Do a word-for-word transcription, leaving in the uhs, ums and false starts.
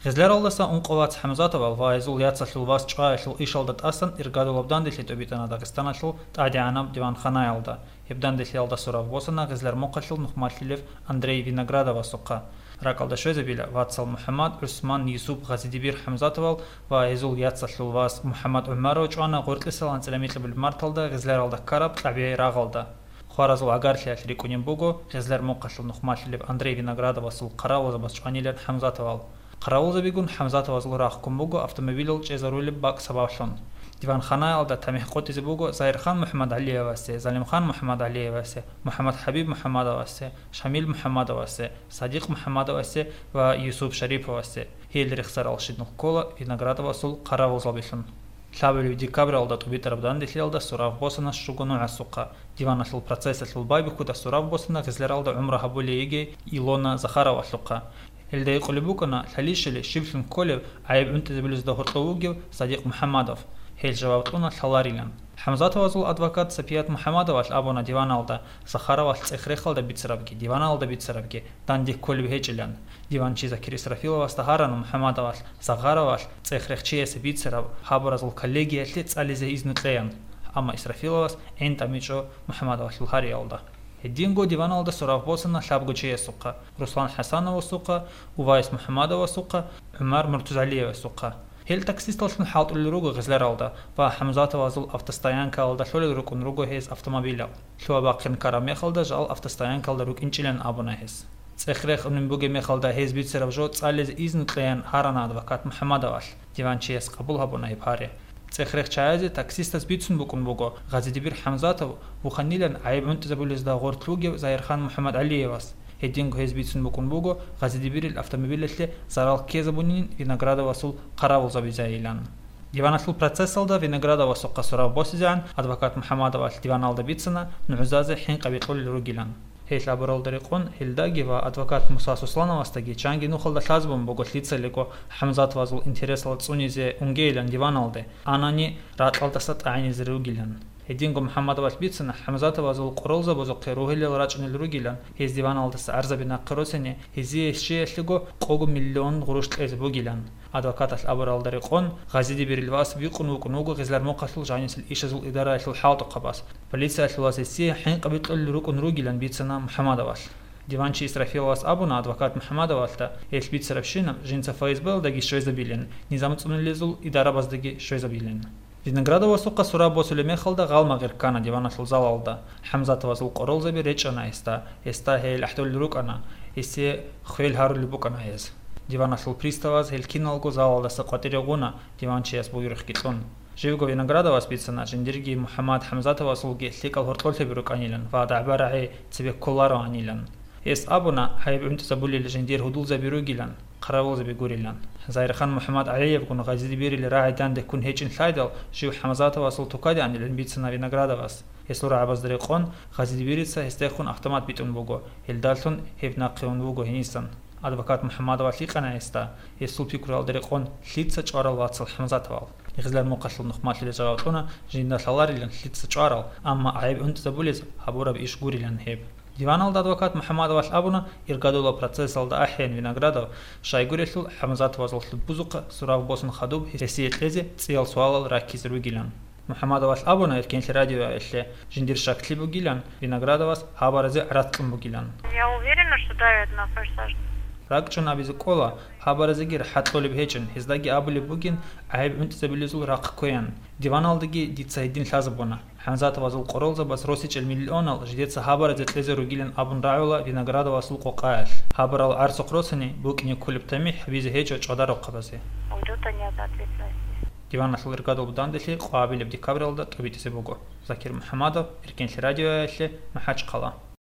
Гъезляралдаса ункъо вац ХӀамзатовал ва гьезул яцалъул вас чӀваялъул ишалда тӀасан иргадулаб данделъи тӀубитӀана Дагъистаналъул тӀадегӀанаб диванханаялда. Гьеб данделъиялда сураб босана Гъезлярмухъалъул нухмалъилев Андрей Виноградовасухъа. РакӀалда щвезабила вацал МухӀаммад, ГӀусман, Юсуп, Гъазидибир ХӀамзатовал ва гьезул яцалъул вас МухӀаммад ГӀумаров чӀвана гъоркьисал анцӀила микьабулеб марталда Гъезляралда ккараб кьабигӀи рагъалда. Хваразул гӀагарлъиялъ рикӀкӀунеб буго Гъезлярмухъалъул нухмалъилев Андрей Виноградовасул хъаравулзабаз чӀванилан ХӀамзатовал. Хъаравулзабигун ХӀамзатовазул рахъ ккун буго автомобилал чӀезарулеб бакӀ сабаблъун. Диванханаялда тамихӀ къотӀизе буго Загьирхан МухӀамадгӀалиевасе, Залимхан МухӀамадгӀалиевасе, МухӀаммадхӀабиб МухӀамадовасе, Шамил МухӀамадовасе, Садикъ МухӀамадовасе ва Юсуп Шариповасе. Гьел рехсарал щинал ккола Виноградовасул хъаравулзабилъун. Лъабабилеб декабралда тӀубитӀараб данделъиялда сураб босана щуго нугӀасухъа. Диваналъул процессалъул байбихьуда сураб босана Гъезляралда гӀумру гьабулей йигей Илона Захаровалъухъа. Гьелда гьикъулеб букӀана, лъалищали щиблъун кколев гӀайиб гӀунтӀизабулезда гьоркьов вугев Садикъ МухӀамадов. Гьел жаваб кьуна лъаларилан. ХӀамзатовазул адвокат Сапият МухӀамадовалъ абуна диваналда, Захаровалъ цӀех-рехалда бицарабги, диваналда бицарабги данде кколеб гьечӀилан. Диванчи Закир Исрафиловасда гьарана МухӀамадовалъ, Захаровалъ цӀех-рехчиясе бицараб хабаразул коллегиялъе цӀализе изну кьеян, амма Исрафиловас гӀин тӀамичӀо МухӀамадовалъул гьариялда. Гьединго диваналда сураб босана лъабго чиясухъа: Руслан ХӀасановасухъа, Увайс МухӀамадовасухъа, ГӀумар МуртузгӀалиевасухъа. Гьел таксисталлъун хӀалтӀулел руго Гъезляралда ва ХӀамзатовазул автостоянкаялда лъолел рукӀун руго гьез автомобилал. Лъугьа-бахъин ккараб мехалда жал автостоянкаялда рукӀинчӀилан абуна гьес. ЦӀех-рех унеб бугеб мехалда гьез бицараб жо цӀализе изну кьеян гьарана адвокат МухӀамадовалъ. Диванчияс къабул гьабуна гьеб гьари. ЦӀех-рехчаязе таксистас бицун букӀун буго Гъазидибир ХӀамзатов вуханилан гӀайиб гӀунтӀизабулезда гъоркь вугев Загьирхан МухӀамадгӀалиевас. Гьединго гьез бицун букӀун буго Гъазидибирил автомобилалъе зарал ккезабунин Виноградовасул хъаравулзабизайилан. Диваналъул процессалда Виноградовасухъа сураб босизегӀан адвокат МухӀамадовалъ диваналда бицана нугӀзазе хӀинкъаби кьолел ругилан. Гьел абуралда рекъон, гьелдаги ва адвокат Муса Сослановасдаги чанги нухалда лъазабун буго лъицалиго ХӀамзатовазул интересал цӀунизе унгейилан диваналде, анани ракьалдаса тӀагӀинизе ругилан. Гьединго МухӀамадовалъ бицана ХӀамзатовазул къоролзабазухъе ругьилел рачӀунел ругилан, гьез диваналдаса гӀарзаби нахъе росине, гьезие щиялъего къого миллион гъурущ кьезе бугилан. Адвокаталъ абуралда рекъон, Гъазидибирил вас вихъун вукӀун вуго Гъезлярмухъалъул жанисел ишазул идараялъул хӀалтӀухъабаз. Полициялъул вас гьесие хӀинкъаби кьолел рукӀун ругилан бицана МухӀамадовалъ. Диванчи Исрафиловас абуна адвокат МухӀамадовалъда, гьелъ бицарабщинаб жинца ФСБ-ялдаги щвезабилин, низам цӀунулезул идарабаздаги щвезабилин. Виноградовасухъа сураб босулеб мехалда гъалмагъир ккана диваналъул залалда. ХӀамзатовазул къоролзаби речӀчӀана гьесда, гьесда гьел ахӀдолел рукӀана, гьесие хвел гьарулеб букӀана гьез. Диваналъул приставаз гьел киналго залалдаса къватӀире гъуна, диванчияс буюрухъги кьун. Живго Виноградовас бицана, жиндирги МухӀаммад ХӀамзатовасулги лъикӀал гьоркьорлъиби рукӀанилан ва дагӀба-рагӀи цебе кколароанилан. Гьес абуна, гӀайиб гӀунтӀизабулел жиндир гьудулзаби ругилан, хъаравулзаби гурилан. Загьирхан МухӀаммадгӀалиевгун Гъазидибирил рагӀи данде ккун гьечӀин лъайдал, жив ХӀамзатовасул тукаде анилан бицана Виноградовас. Гьесул рагӀабазда рекъон, Гъазидибирица гьесдехун автомат битӀун буго, гьелдалъун гьеб нахъе ун вуго гьенисан. Адвокат МухӀаммадовалъ гьикъана гьесда, гьесул пикруялда рекъон, лъица чӀварал вацал ХӀамзатовал. Гъезлярмухъалъул нухмалъила жаваб кьуна, жинда лъаларилан лъица чӀварал, амма гӀайиб гӀунтӀизабулез гьабураб иш гурилан гьеб. Диваналда адвокат МухӀаммадовалъ абуна, иргадулаб процессалда ахӀеян Виноградов, щайгурелъул ХӀамзатовазул лъудбузухъа сураб босун хадуб гьесие кьезе цӀиял суалал раккизе ругилан. МухӀаммадовалъ абуна Эркенлъи радиоялъе, жиндир щаклъи бугилан, Виноградовас гьабаразе гӀарац кьун бугилан. Я уверена, что давят на форсаж. РакӀчӀун абизе кӀола, гьабаразеги рахӀатлъулеб гьечӀин, гьездаги абулеб бугин, гӀайиб гӀунтӀизабилезул рахъ кквеян. Диваналдаги дица гьедин лъазабуна. ХӀамзатовазул къоролзабаз росичӀел миллионал жидеца гьабаразе кьезе ругилан абун рагӀула Виноградовасул къокъаялъ. Гьабарал гӀарцухъ росани, букӀине кколеб тамихӀ гьабизе гьечӀо чӀвадарухъабазе. Уйдут они от ответственности. Диваналъул иргадул данделъи къвабилеб декабралда тӀубитӀизе буго. Закир МухӀаммадов, Эркенлъи радиоялъе, МахӀачхъала.